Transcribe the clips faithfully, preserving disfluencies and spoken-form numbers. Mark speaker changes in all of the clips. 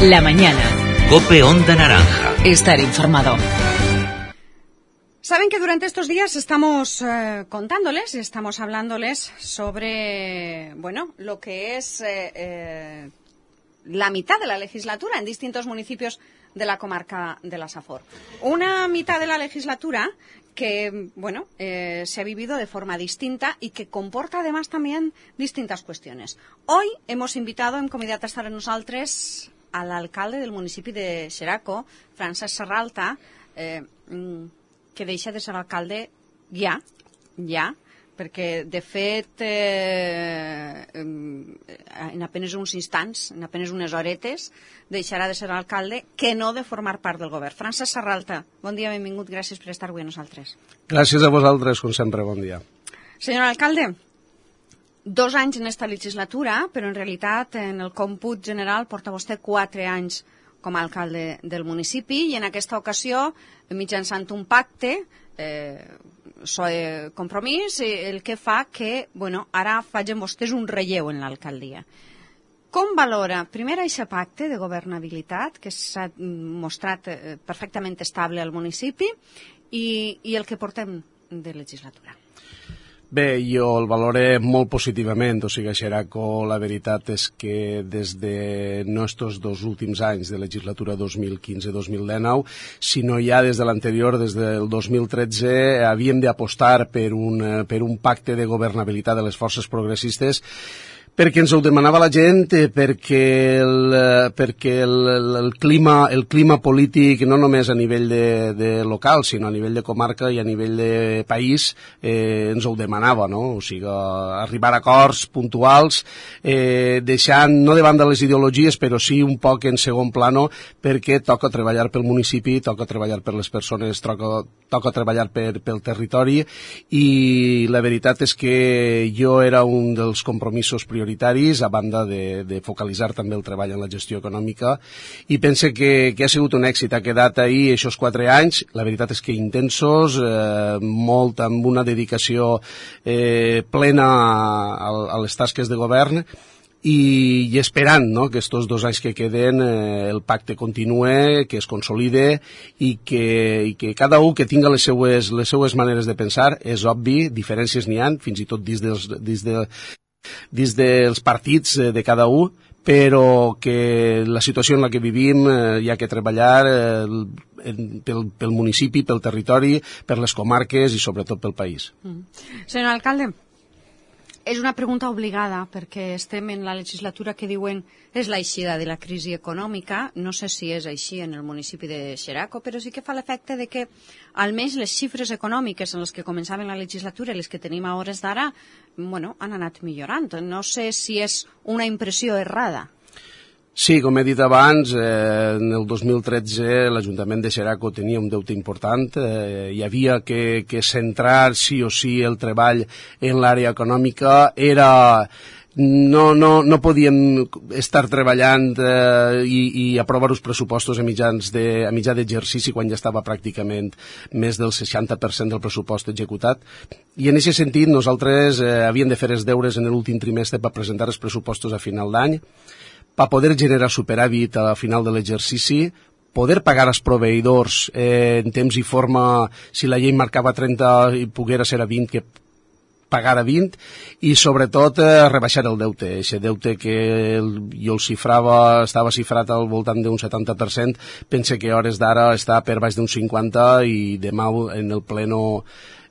Speaker 1: La mañana.
Speaker 2: COPE Onda Naranja.
Speaker 1: Estar informado.
Speaker 3: Saben que durante estos días estamos eh, contándoles y estamos hablándoles sobre, bueno, lo que es eh, eh, la mitad de la legislatura en distintos municipios de la comarca de la Safor. Una mitad de la legislatura que, bueno, eh, se ha vivido de forma distinta y que comporta además también distintas cuestiones. Hoy hemos invitado, hem convidat a estar amb nosaltres a l'alcalde del municipi de Xeraco, Francesc Serralta, eh, que deixa de ser alcalde ja, ja, perquè de fet eh, en apenas uns instants, en apenas unes horetes, deixarà de ser alcalde, que no de formar part del govern. Francesc Serralta, bon dia, benvingut, gràcies per estar avui amb nosaltres.
Speaker 4: Gràcies a vosaltres, com sempre, bon dia.
Speaker 3: Senyor alcalde, dos anys en esta legislatura, però en realitat en el còmput general porta vostè quatre anys com a alcalde del municipi i en aquesta ocasió, mitjançant un pacte, eh, soe compromís, el que fa que, bueno, ara facin vostès un relleu en l'alcaldia. Com valora, primer, aquest pacte de governabilitat que s'ha mostrat perfectament estable al municipi i, i el que portem de legislatura?
Speaker 4: Bé, jo el valoré molt positivament, o sigui, a Xeraco la veritat és que des de no estos dos últims anys de legislatura dos mil quinze dos mil dinou, sinó ja des de l'anterior, des del dos mil tretze, havíem d'apostar per un, per un pacte de governabilitat de les forces progressistes perquè ens ho demanava la gent, perquè el, perquè el, el, clima, el clima polític, no només a nivell de, de local, sinó a nivell de comarca i a nivell de país, eh, ens ho demanava, no? O sigui, arribar a acords puntuals, eh, deixant, no davant de les ideologies, però sí un poc en segon plano, perquè toca treballar pel municipi, toca treballar per les persones, toca, toca treballar per, pel territori, i la veritat és que jo era un dels compromisos prioritaris prioritaris, a banda de, de focalitzar també el treball en la gestió econòmica, i pense que, que ha sigut un èxit. Ha quedat ahir aquests quatre anys, la veritat és que intensos, eh, molt amb una dedicació eh, plena a, a les tasques de govern, i, i esperant, no?, que aquests dos anys que queden eh, el pacte continue, que es consolide i que, i que cada un que tinga les seues, les seues maneres de pensar. És obvi, diferències n'hi ha, fins i tot dins dels, dins de dins dels partits de cada un, però que la situació en la que vivim eh, hi ha que treballar eh, pel, pel municipi, pel territori, per les comarques i sobretot pel país.
Speaker 3: Mm. Senyor alcalde, és una pregunta obligada perquè estem en la legislatura que diuen és l'eixida de la crisi econòmica. No sé si és així en el municipi de Xeraco, però sí que fa l'efecte de que almenys les xifres econòmiques en les que començaven la legislatura i les que tenim a hores d'ara, bueno, han anat millorant. No sé si és una impressió errada.
Speaker 4: Sí, com he dit abans, eh, en el dos mil tretze l'Ajuntament de Xeraco tenia un deute important, eh, hi havia que, que centrar sí o sí el treball en l'àrea econòmica, era... No, no, no podíem estar treballant eh, i, i aprovar els pressupostos a, mitjans de, a mitjà d'exercici quan ja estava pràcticament més del seixanta per cent del pressupost executat. I en aquest sentit nosaltres eh, havíem de fer els deures en l'últim trimestre per presentar els pressupostos a final d'any, per poder generar superàvit a final de l'exercici, poder pagar als proveïdors eh, en temps i forma, si la llei marcava trenta i poguera ser a vint, que pagar a vint, i sobretot eh, rebaixar el deute. Aquest deute que el, jo el xifrava, estava xifrat al voltant d'un setanta per cent, pense que a hores d'ara està per baix d'un cinquanta i demà en el pleno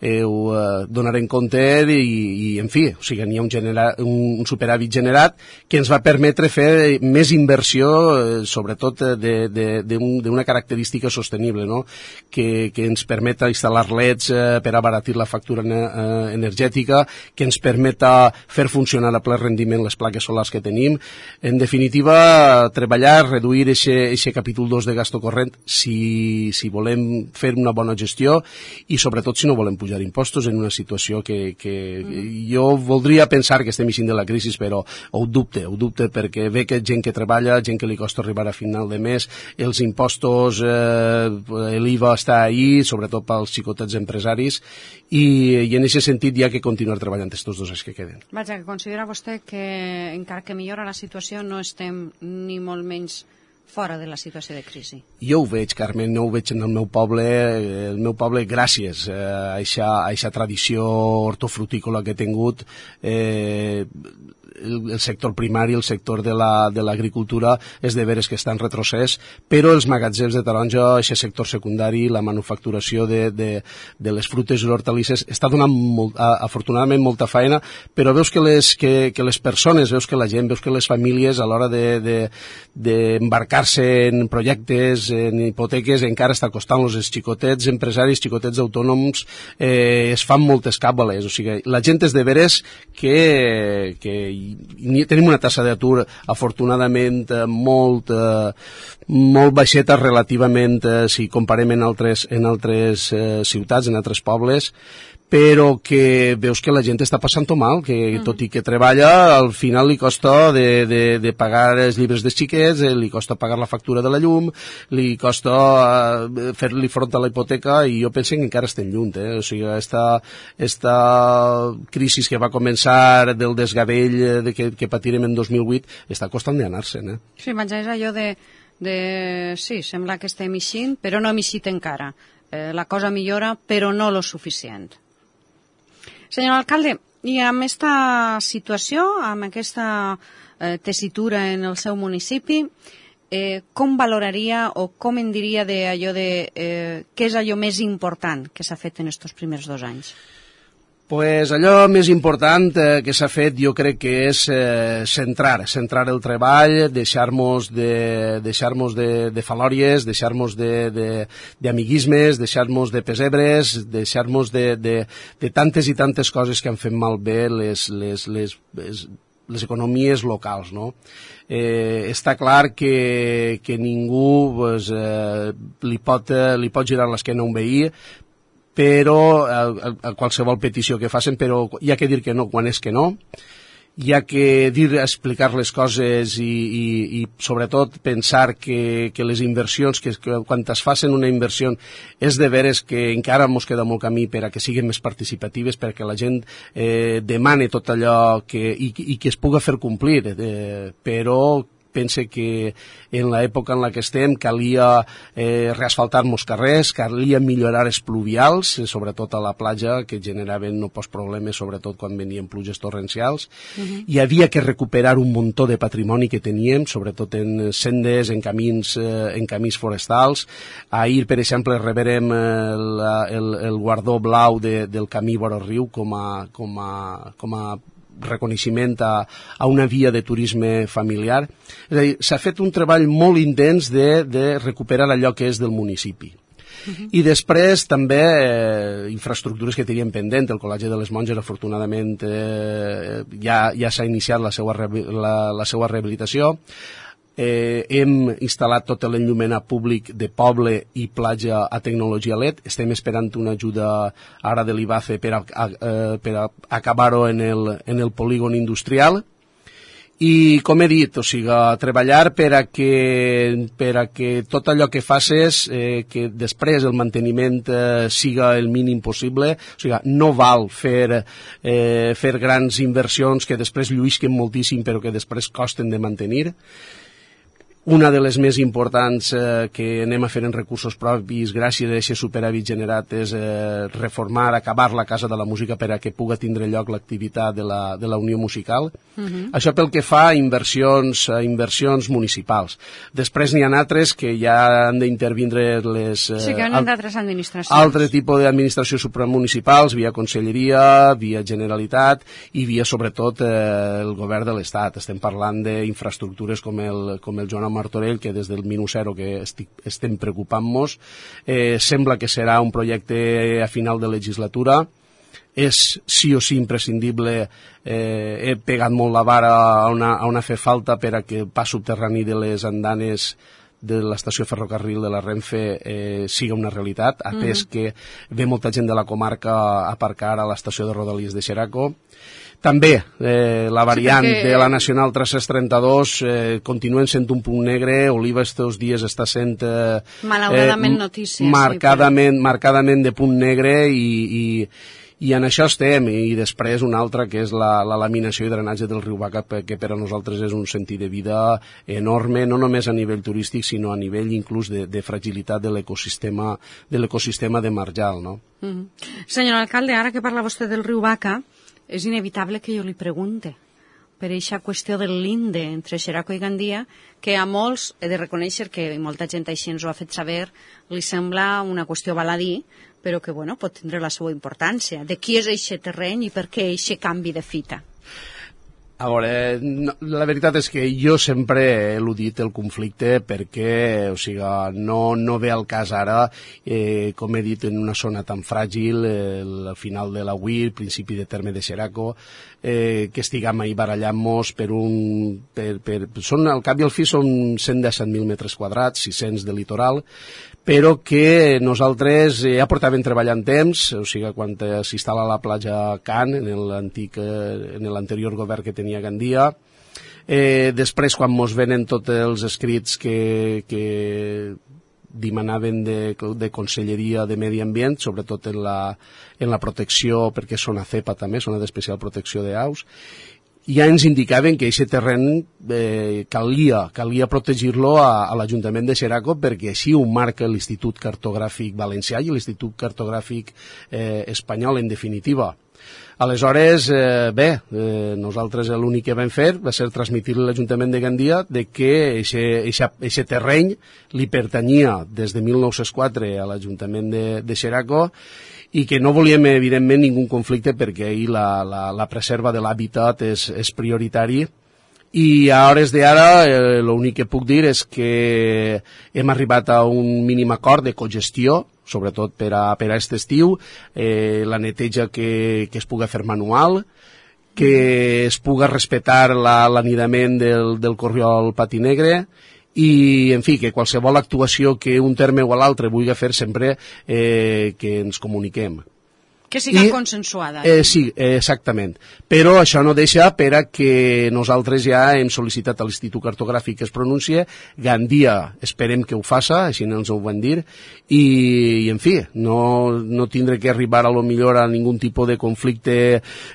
Speaker 4: eh, ho eh, donarem compte i, i en fi, o sigui, n'hi ha un, genera, un superàvit generat que ens va permetre fer més inversió, eh, sobretot d'una característica sostenible, no?, que, que ens permeta instal·lar leds eh, per abaratir la factura eh, energètica, que ens permeta fer funcionar a ple rendiment les plaques solars que tenim. En definitiva, treballar, reduir aquest capítol dos de gasto corrent si, si volem fer una bona gestió i sobretot si no volem pujar impostos en una situació que, que mm. jo voldria pensar que estem eixint de la crisi, però ho dubte, ho dubte perquè ve que gent que treballa, gent que li costa arribar a final de mes, els impostos, eh, l'I V A està ahí, sobretot pels xicotets empresaris, i, i en aquest sentit hi ha que continuar treballant aquests dos anys que queden.
Speaker 3: Vaja, que considera vostè que encara que millora la situació no estem ni molt menys fora de la situació de crisi?
Speaker 4: Jo ho veig, Carmen, no ho veig en el meu poble, el meu poble gràcies a aquesta tradició hortofrutícola que he tingut, eh, el, el sector primari, el sector de l'agricultura, la, és de veres que està en retrocés, però els magatzems de taronja, aquest sector secundari, la manufacturació de, de, de les frutes i les hortalisses, està donant molt, afortunadament molta feina, però veus que les, que, que les persones, veus que la gent, veus que les famílies a l'hora d'embarcar-se de, de, en projectes, en hipoteques, encara està costant-los. Els xicotets empresaris, xicotets autònoms, eh, es fan moltes càbales. O sigui, la gent és de veres que, que tenim una tassa d'atur afortunadament molt, molt baixeta relativament si comparem en altres, en altres ciutats, en altres pobles, però que veus que la gent està passant-ho mal, que mm. tot i que treballa, al final li costa de, de, de pagar els llibres dels xiquets, li costa pagar la factura de la llum, li costa uh, fer-li front a la hipoteca, i jo penso que encara estem lluny, eh? O sigui, esta, esta crisi que va començar del desgavell de que, que patirem en dos mil vuit està costant d'anar-se'n, eh?
Speaker 3: Sí, vaja, és allò de, de... Sí, sembla que estem eixint, però no hem eixit encara. Eh, la cosa millora, però no lo suficient. Senyor alcalde, i amb aquesta situació, amb aquesta eh, tessitura en el seu municipi, eh, com valoraria o com en diria d'allò de eh, què és allò més important que s'ha fet en aquests primers dos anys?
Speaker 4: Pues allò més important eh, que s'ha fet jo crec que és eh, centrar, centrar el treball, deixar-nos de, deixar-nos de, de falòries, deixar-nos d'amiguismes, de, deixar-nos de pesebres, deixar-nos de, de, de tantes i tantes coses que han fet malbé les, les, les, les, les economies locals, no? Eh, està clar que, que ningú pues, eh, li, pot, li pot girar l'esquena a un veí, però a, a, a qualsevol petició que facin, però hi ha que dir que no quan és que no, hi ha que dir, explicar les coses i, i, i sobretot pensar que, que les inversions, que, que quan es facin una inversió és de veres que encara ens queda molt camí per a que siguin més participatives, perquè la gent eh, demane tot allò que, i, i que es puga fer complir, eh, però pense que en l'època en la que estem calia eh, reasfaltar molts carrers, calia millorar els pluvials, eh, sobretot a la platja, que generaven no pocs problemes, sobretot quan venien pluges torrencials. Uh-huh. Hi havia que recuperar un muntó de patrimoni que teníem, sobretot en sendes, en camins, eh, en camins forestals. Ahir, per exemple, reberem eh, la, el, el guardó blau de, del camí vora riu com a, com a, com a reconeixement a, a una via de turisme familiar. És a dir, s'ha fet un treball molt intens de, de recuperar allò que és del municipi. Uh-huh. I després també eh, infraestructures que teníem pendent. El Col·legi de les Monges, afortunadament, eh, ja, ja s'ha iniciat la seva, la, la seva rehabilitació. Eh, hem instal·lat tot l'enllumenat públic de poble i platja a tecnologia L E D. Estem esperant una ajuda ara de l'I B A C E per, a, a, per a acabar-ho en, el, en el polígon industrial. I, com he dit, o sigui, treballar per a que, per a que tot allò que facis, eh, que després el manteniment eh, siga el mínim possible. O sigui, no val fer, eh, fer grans inversions que després lluïsquen moltíssim però que després costen de mantenir. Una de les més importants eh, que anem a fer en recursos propis gràcies a aquest superàvit generat és eh, reformar, acabar la Casa de la Música per a que puga tindre lloc l'activitat de, la, de la Unió Musical. Uh-huh. Això pel que fa a inversions, a inversions municipals. Després n'hi ha altres que ja han d'intervindre les... Eh,
Speaker 3: sí, que han d'altres administracions.
Speaker 4: Altre tipus d'administracions supramunicipals, via Conselleria, via Generalitat i via, sobretot, eh, el govern de l'Estat. Estem parlant d'infraestructures com el, com el Joan Martorell, que des del minut zero que estic, estem preocupant-nos. Eh, sembla que serà un projecte a final de legislatura. És sí o sí imprescindible. Eh, he pegat molt la vara on ha, on ha fet falta per a que el pas subterrani de les andanes de l'estació ferrocarril de la Renfe eh, siga una realitat, atès mm-hmm. que ve molta gent de la comarca a aparcar a l'estació de Rodalies de Xeraco. També eh, la variant sí, perquè... de la Nacional tres-cents trenta-dos eh, continuen sent un punt negre. Oliva estos dies està sent eh,
Speaker 3: malauradament eh, notícia,
Speaker 4: marcadament,
Speaker 3: sí, però...
Speaker 4: marcadament de punt negre i, i, i en això estem, i després una altra que és la, la laminació i drenatge del riu Baca, que per a nosaltres és un sentit de vida enorme, no només a nivell turístic, sinó a nivell inclús de, de fragilitat de l'ecosistema de l'ecosistema de Marjal, no?
Speaker 3: Mm-hmm. Senyor alcalde, ara que parla vostè del riu Baca, és inevitable que jo li pregunte per aquesta qüestió del linde entre Xeraco i Gandia, que a molts, he de reconèixer que molta gent així ens ho ha fet saber, li sembla una qüestió baladí, però que bueno, pot tindre la seva importància. De qui és aquest terreny i per què aquest canvi de fita?
Speaker 4: A veure, no, la veritat és que jo sempre he eludit el conflicte perquè, o sigui, no, no ve al cas ara, eh, com he dit, en una zona tan fràgil, eh, al final de la U I, el principi de terme de Xeraco, eh, que estiguem ahí barallant-nos per un... Per, per, són, al cap i al fi són cent disset mil metres quadrats, sis-cents de litoral, però que nosaltres ja portàvem treballant temps, o sigui, quan s'instal·la la platja Can, en l'antic, en l'anterior govern que tenia Gandia, eh, després quan mos venen tots els escrits que, que demanaven de, de Conselleria de Medi Ambient, sobretot en la, en la protecció, perquè és zona cepa també, zona d'especial protecció d'aus, ja ens indicaven que aquest terreny eh, calia, calia protegir-lo a, a l'Ajuntament de Xeraco perquè així ho marca l'Institut Cartogràfic Valencià i l'Institut Cartogràfic eh, Espanyol, en definitiva. Aleshores, eh, bé, eh, nosaltres l'únic que vam fer va ser transmitir a l'Ajuntament de Gandia de que aquest terreny li pertanyia des de mil nou-cents quatre a l'Ajuntament de, de Xeraco i que no volíem, evidentment, ningú conflicte perquè ahir la, la, la preserva de l'hàbitat és, és prioritari. I a hores d'ara eh, l'únic que puc dir és que hem arribat a un mínim acord de cogestió, sobretot per a, per a aquest estiu, eh, la neteja que, que es puga fer manual, que es puga respectar l'anidament la, del, del corriol Pati Negre, i, en fi, que qualsevol actuació que un terme o l'altre vulgui fer sempre eh, que ens comuniquem.
Speaker 3: Que siga I, consensuada.
Speaker 4: Eh, sí, eh, exactament. Però això no deixa per a que nosaltres ja hem sol·licitat a l'Institut Cartogràfic que es pronuncie. Gandia esperem que ho faça, així ens ho van dir, i, i en fi, no, no tindre que arribar a lo millor a ningun tipus de conflicte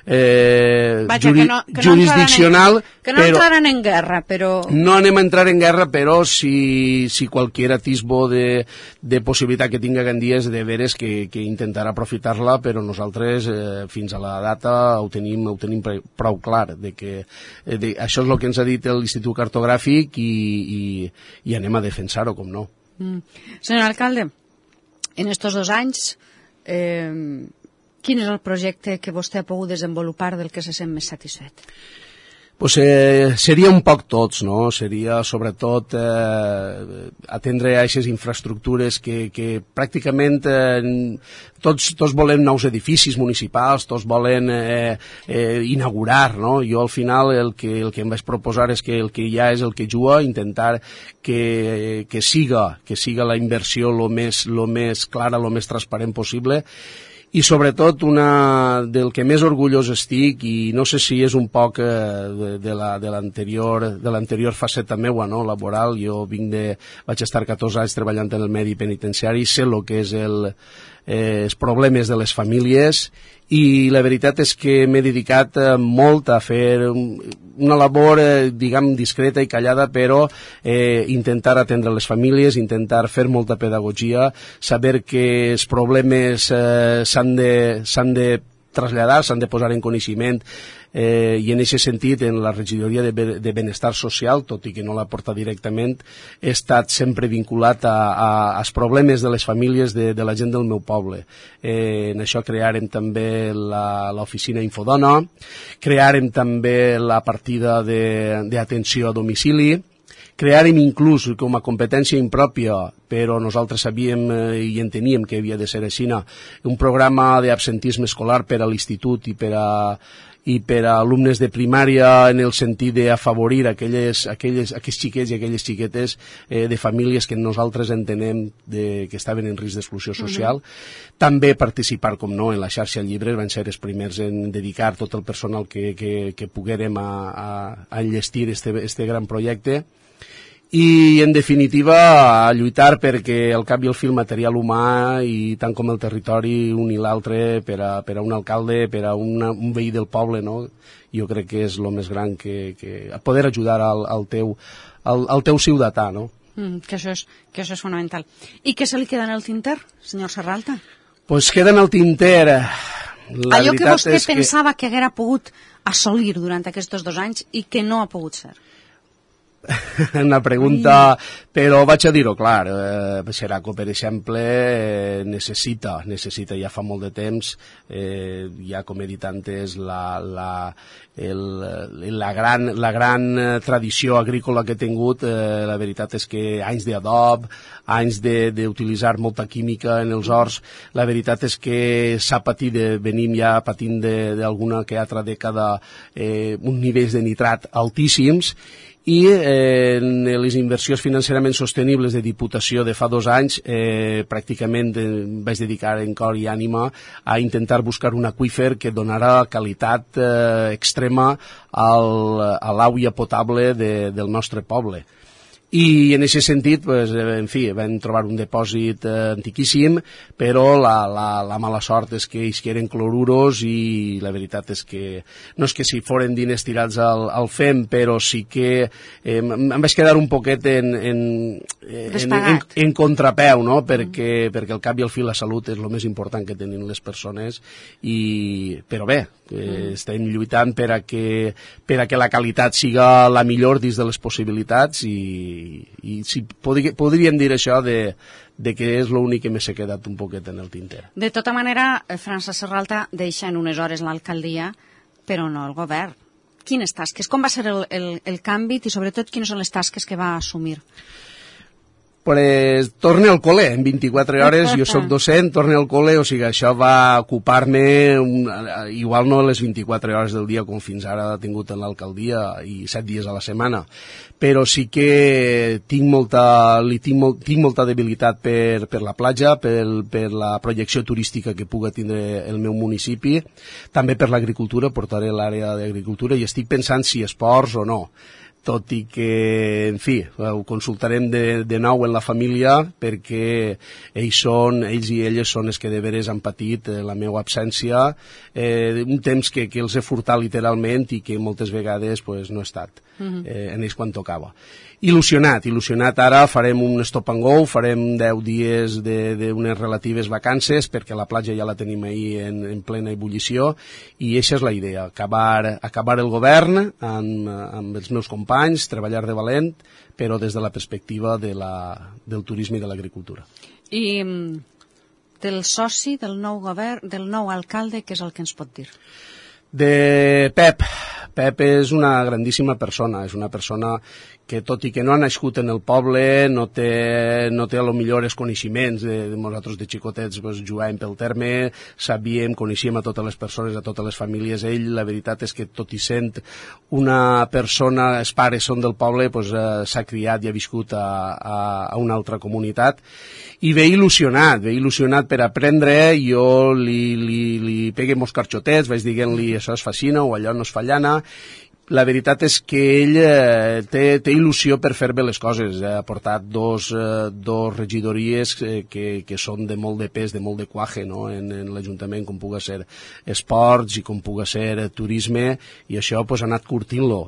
Speaker 4: eh,
Speaker 3: Vaja,
Speaker 4: juri,
Speaker 3: que no, que no
Speaker 4: jurisdiccional.
Speaker 3: En, que no entraran en guerra, però...
Speaker 4: No anem a entrar en guerra, però si, si qualsevol atisbo de, de possibilitat que tinga Gandia és de veres que, que intentarà aprofitar-la, però nosaltres eh, fins a la data ho tenim, ho tenim prou clar, de que eh, de, això és el que ens ha dit l'Institut Cartogràfic i, i, i anem a defensar-ho, com no.
Speaker 3: Mm. Senyor alcalde, en estos dos anys, eh, quin és el projecte que vostè ha pogut desenvolupar del que se sent més satisfet?
Speaker 4: Pues, eh, seria un poc tots, no? Seria sobretot eh, atendre a aquestes infraestructures que, que pràcticament eh, tots, tots volem nous edificis municipals, tots volen eh, eh, inaugurar, no? Jo al final el que, el que em vaig proposar és que el que hi ha és el que juga, intentar que, que siga, que siga la inversió lo més, lo més clara, lo més transparent possible. I sobretot una del que més orgullós estic, i no sé si és un poc eh, de, de, la, de l'anterior de l'anterior faceta meua, no?, laboral. Jo vinc de, vaig estar catorze anys treballant en el medi penitenciari, sé el que és el, eh, els problemes de les famílies, i la veritat és que m'he dedicat eh, molt a fer una labor, eh, diguem, discreta i callada, però eh, intentar atendre les famílies, intentar fer molta pedagogia, saber que els problemes eh, s'han de, s'han de traslladar, s'han de posar en coneixement, eh, i en aquest sentit, en la regidoria de, de benestar social, tot i que no la porta directament, he estat sempre vinculat a, a, als problemes de les famílies de, de la gent del meu poble. Eh, en això crearem també l'oficina Infodona, crearem també la partida d'atenció a domicili, crearem inclús com a competència impròpia, però nosaltres sabíem eh, i enteníem que havia de ser així, un programa d'absentisme escolar per a l'institut i per a i per a alumnes de primària, en el sentit d'afavorir aquelles, aquelles, aquells xiquets i aquelles xiquetes eh, de famílies que nosaltres entenem de, que estaven en risc d'exclusió social. Uh-huh. També participar, com no, en la xarxa llibres, van ser els primers en dedicar tot el personal que, que, que poguérem a, a, a enllestir este, este gran projecte. i en definitiva a lluitar perquè al cap i al fi el material humà i tant com el territori un i l'altre per a, per a un alcalde, per a una, un veí del poble, no? Jo crec que és el més gran que, que poder ajudar al, al, teu, al, al teu ciutadà, no?
Speaker 3: Mm, que, això és, que això és fonamental. I què se li queda en el tinter, senyor Serralta?
Speaker 4: Pues queda en el tinter. La
Speaker 3: allò que vostè
Speaker 4: que...
Speaker 3: pensava que haguera pogut assolir durant aquests dos anys i que no ha pogut ser.
Speaker 4: Una pregunta, però vaig a dir-ho clar, eh, Xeraco, per exemple, eh, necessita, necessita ja fa molt de temps, eh, ja com he dit antes, la, la, el, la, gran, la gran tradició agrícola que he tingut, eh, la veritat és que anys d'adob, anys d'utilitzar molta química en els horts, la veritat és que s'ha patit, de, venim ja patint d'alguna que altra dècada eh, uns nivells de nitrat altíssims, i eh, en les inversions financerament sostenibles de Diputació de fa dos anys eh, pràcticament eh, vaig dedicar en cor i ànima a intentar buscar un aqüífer que donarà qualitat eh, extrema al, a l'aigua potable de, del nostre poble. I en aquest sentit, pues, en fi, vam trobar un dipòsit eh, antiquíssim, però la, la, la mala sort és que ells eren cloruros i la veritat és que no és que si foren diners tirats al, al fem, però sí que eh, em vaig quedar un poquet en, en, en, en, en contrapeu, no? perquè, mm. perquè al cap i al fi la salut és el més important que tenen les persones, i, però bé, eh, mm. estem lluitant per a, que, per a que la qualitat siga la millor dins de les possibilitats i i si podri, podríem dir això de, de que és l'únic que m'he quedat un poquet en el tinter.
Speaker 3: De tota manera, Francesc Serralta deixa en unes hores l'alcaldia, però no el govern. Quines tasques? Com va ser el, el, el canvi i sobretot quines són les tasques que va assumir?
Speaker 4: Pues, torne al col·le, en vint-i-quatre hores, jo soc docent, torne al col·le, o sigui, això va ocupar-me, igual no les vint-i-quatre hores del dia com fins ara ha tingut en l'alcaldia i set dies a la setmana, però sí que tinc molta, li tinc, molt, tinc molta debilitat per, per la platja, per, per la projecció turística que puga tindre el meu municipi, també per l'agricultura, portaré l'àrea d'agricultura i estic pensant si esports o no. Tot i que, en fi, ho consultarem de, de nou en la família perquè ells, són, ells i elles són els que de veres han patit eh, la meva absència, eh, un temps que, que els he furtat literalment i que moltes vegades pues, no he estat uh-huh. eh, en ells quan tocava. Il·lusionat, il·lusionat ara farem un stop and go, farem deu dies d'unes relatives vacances perquè la platja ja la tenim ahir en, en plena ebullició i aquesta és la idea, acabar, acabar el govern amb, amb els meus companys, treballar de valent, però des de la perspectiva de la, del turisme i de l'agricultura.
Speaker 3: I del soci del nou govern, del nou alcalde, què és el que ens pot dir?
Speaker 4: De Pep. Pep és una grandíssima persona, és una persona que tot i que no ha nascut en el poble, no té, no té a lo millor els coneixements de, de nosaltres de xicotets, pues, jugàvem pel terme, sabíem, coneixíem a totes les persones, a totes les famílies. Ell, la veritat és que tot i sent una persona, els pares són del poble, pues, eh, s'ha criat i ha viscut a, a, a una altra comunitat i ve il·lusionat, ve il·lusionat per aprendre. Jo li, li, li pegué molts carxotets, vaig dient-li això es fascina o allò no es fallana. La veritat és que ell eh, té, té il·lusió per fer bé les coses. Ha portat dos, eh, dos regidories eh, que, que són de molt de pes, de molt de cuaje, no? en, en l'Ajuntament, com puga ser esports i com puga ser eh, turisme, i això pues, ha anat curtint-lo.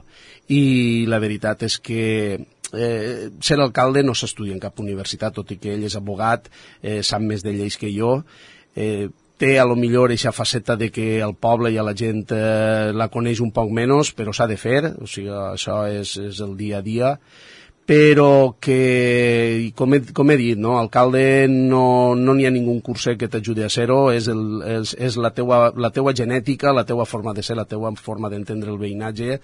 Speaker 4: I la veritat és que eh, ser alcalde no s'estudia en cap universitat, tot i que ell és abogat, eh, sap més de lleis que jo, eh, té a lo millor aquesta faceta de que el poble i a la gent eh, la coneix un poc menys, però s'ha de fer, o sigui, això és, és el dia a dia, però que, com he, com he dit, no, alcalde no n'hi no ha ningú curset que t'ajudi a ser-ho, és, el, és, és la, teua, la teua genètica, la teua forma de ser, la teua forma d'entendre el veïnatge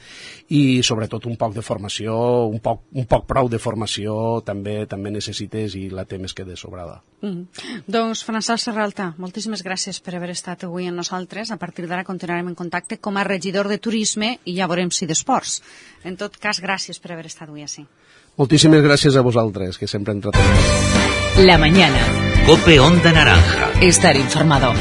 Speaker 4: i sobretot un poc de formació, un poc, un poc prou de formació també també necessites i la té més que de sobrada.
Speaker 3: Mm. Doncs Francesc Serralta, moltíssimes gràcies per haver estat avui amb nosaltres. A partir d'ara continuarem en contacte com a regidor de turisme i ja veurem si d'esports. En tot cas, gràcies per haver estat avui així.
Speaker 4: Moltíssimes gràcies a vosaltres, que sempre entretenim.
Speaker 2: La mañana. Cope Onda Naranja.
Speaker 1: Estar informado.